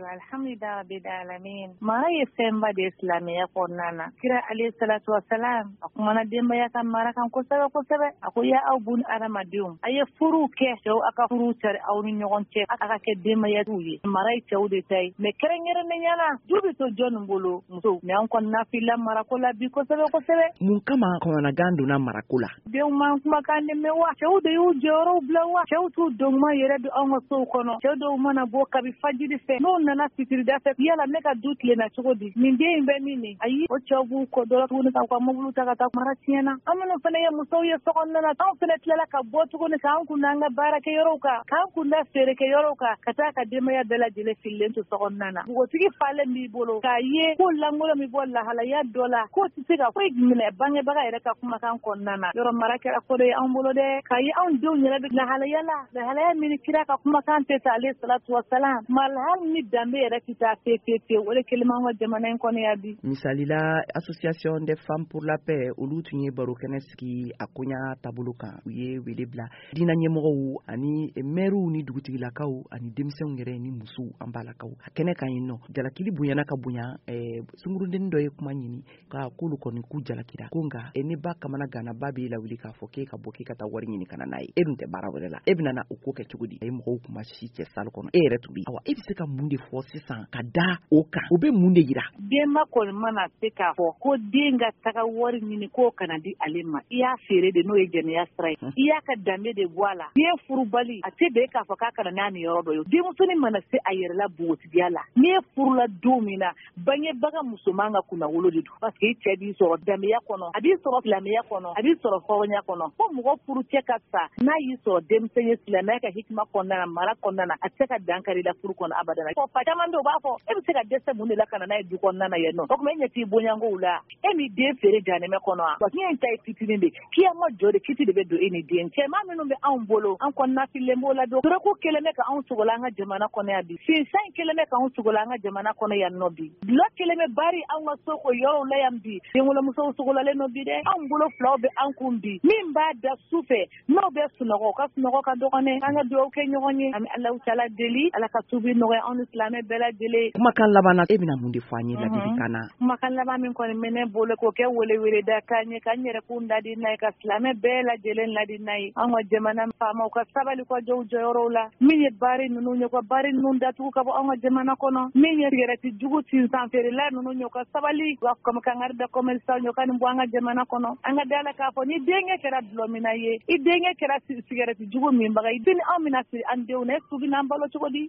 Ayiwa, alhamdulilahi rabbil alamin. Mara ye fɛnba de ye silamɛya kɔnɔna na. Kira alayhi salatu wasalam, a kumana denbaya ka mara kan kosɛbɛ kosɛbɛ. A ko: ya aw bun adamadenw, a ye furuw kɛ, cɛw, a ka furuw cari aw ni ɲɔgɔn cɛ, a ka kɛ denbayatigiw ye. Mara ye cɛw de ta ye, mais kɛrɛnkɛrɛnnenya la, du bɛ to jɔnni bolo? Musow. Mais an kɔni na filila marako la bi kosɛbɛ kosɛbɛ. Mun kama kɔnɔnagan donna marako la? Denw man kumakan de mɛn wa? Cɛw de y'u jɔyɔrɔw bila wa? Cɛw t'u donguma yɛrɛ don anw ka sow kɔnɔ. Cɛw dɔw mana bɔ kabi fajiri fɛ, n'u nana fitirida fɛ, yala ne ka du tilenna cogo di? Nin den in bɛ min nin? Ayi, o cɛw b'u kɔ dɔrɔn tuguni ka u ka mobili ta ka taa. Mara tiɲɛna. An minnu fana ye musow ye sokɔnɔna na, anw fana tilala ka bɔ tuguni k'an kun da an ka baarakɛyɔrɔw kan, k'an kun da feerekɛyɔrɔw kan, ka taa ka denbaya bɛɛ lajɛlen fililen to sokɔnɔna na. Npogotigi falen b'i bolo k'a ye ko lankolon bɛ bɔ lahalaya dɔ la, k'o tɛ se ka foyi minɛ bangebaga yɛrɛ ka kumakan kɔnɔna na. Yɔrɔ mara kɛra ko dɔ ye anw bolo dɛ, k'a ye anw denw yɛrɛ bɛ lahalaya la, lahalaya min kira ka kumakan tɛ ta alayhi salatu wasalam, ma hali ni danbe yɛrɛ tɛ taa pe pe pe. O de kɛlen b'an ka jamana in kɔnɔ yan bi. Misali la, Association des femmes pour la paix, olu tun ye baro kɛnɛ sigi a koɲa taabolo kan. U ye wele bila diinɛ ɲɛmɔgɔw ani mɛriw ni dugutigilakaw ani denmisɛnw yɛrɛ ni musow, an balakaw, a kɛnɛ kan yen nɔ. Jalakili bonyana ka bonya. Sungurudennin dɔ ye kuma ɲini ka k'olu kɔni k'u jalakira ko nka ne ba kamana gana, ba b'e lawuli k'a fɔ k'e ka bɔ, k'e ka taa wari ɲini ka na n'a ye. E dun tɛ baara wɛrɛ la, e bɛna na o ko kɛ cogo di? A ye mɔgɔw kuma si cɛ salle kɔnɔ, e yɛrɛ tun bɛ. Awa, e bɛ se ka mun de fɔ sisan ka da o kan? O bɛ mun de yira? Denba kɔni mana se k'a fɔ ko den ka taga wari ɲini k'o kana di ale ma, i y'a feere de, n'o ye jɛnɛya sira ye, i y'a ka danbe de bɔ a la. Den furubali, a tɛ bɛn k'a fɔ k'a kana n'a ni yɔrɔ dɔ ye. Denmusonin mana se a yɛrɛ la npogotigiya la, n'i ye furula don min na, bangebaga musoman ka kunnawolo de don, parce que i cɛ b'i sɔrɔ danbeya kɔnɔ, a b'i sɔrɔ silamɛya kɔnɔ, a b'i sɔrɔ hɔrɔnya kɔnɔ. Fo mɔgɔ furu cɛ ka sa, n'a y'i sɔrɔ denmisɛn ye silamɛya ka hikima kɔnɔna na, mara kɔnɔna na, a tɛ se ka dankari la furu kɔnɔ abada. Fɔ fa caman bɛ, u b'a fɔ e bɛ se ka dɛsɛ mun de la ka na n'a ye du kɔnɔna na yan nɔ? O tuma e ɲɛ t'i bonyankow la, e m'i den feere janɛmɛ kɔnɔ wa? Diɲɛ in ta ye fitinin de, kiyama jɔ de, kiti de bɛ don e ni den cɛ. Maa minnu bɛ anw bolo, an kɔnɔna fililen b'o la don. Dɔrɔgu kɛlen bɛ ka anw sogola an ka jamana kɔnɔ yan bi. Sinsan kɛlen bɛ k'anw sogola an ka jamana kɔnɔ yan nɔ bi. Dulɔ kɛlen bɛ bari anw ka so o yɔrɔw la yan bi. Denwolomusow sogolalen nɔ bi dɛ. Anw bolo filaw bɛ an kun bi. Min b'a da su fɛ, n'o bɛ sunɔgɔ, o ka sunɔgɔ ka dɔgɔn dɛ. An ka dugawu kɛ ɲɔgɔn ye. An bɛ Alahu taala deli, Ala ka tuubi nɔgɔya anw ni silamɛ bɛɛ lajɛlen. Kumakan laban na, e bɛna mun de fɔ an ye ladilikan na? Kumakan laban min kɔni bɛ ne bolo k'o kɛ weleweleda kan ye, ka n yɛrɛ kun ladi n'a ye, ka silamɛ bɛɛ lajɛlen ladi n'a ye, an ka jamana faamaw ka sabali, ka jɔ u jɔyɔrɔw la. Min ye bari ninnu ye, ka bari ninnu datugu ka bɔ an ka jamana kɔnɔ. Min ye sigɛrɛti jugu sinsan feerela ninnu ye, ka sabali ka kangari da commerçant ye, ka nin bɔ an ka jamana kɔnɔ. An ka da la k'a fɔ ni denkɛ kɛra dulɔminna ye, i denkɛ kɛra sigɛrɛti jugu minbaga ye, sini anw bɛna siri an denw na, e su bɛna an balo cogo di?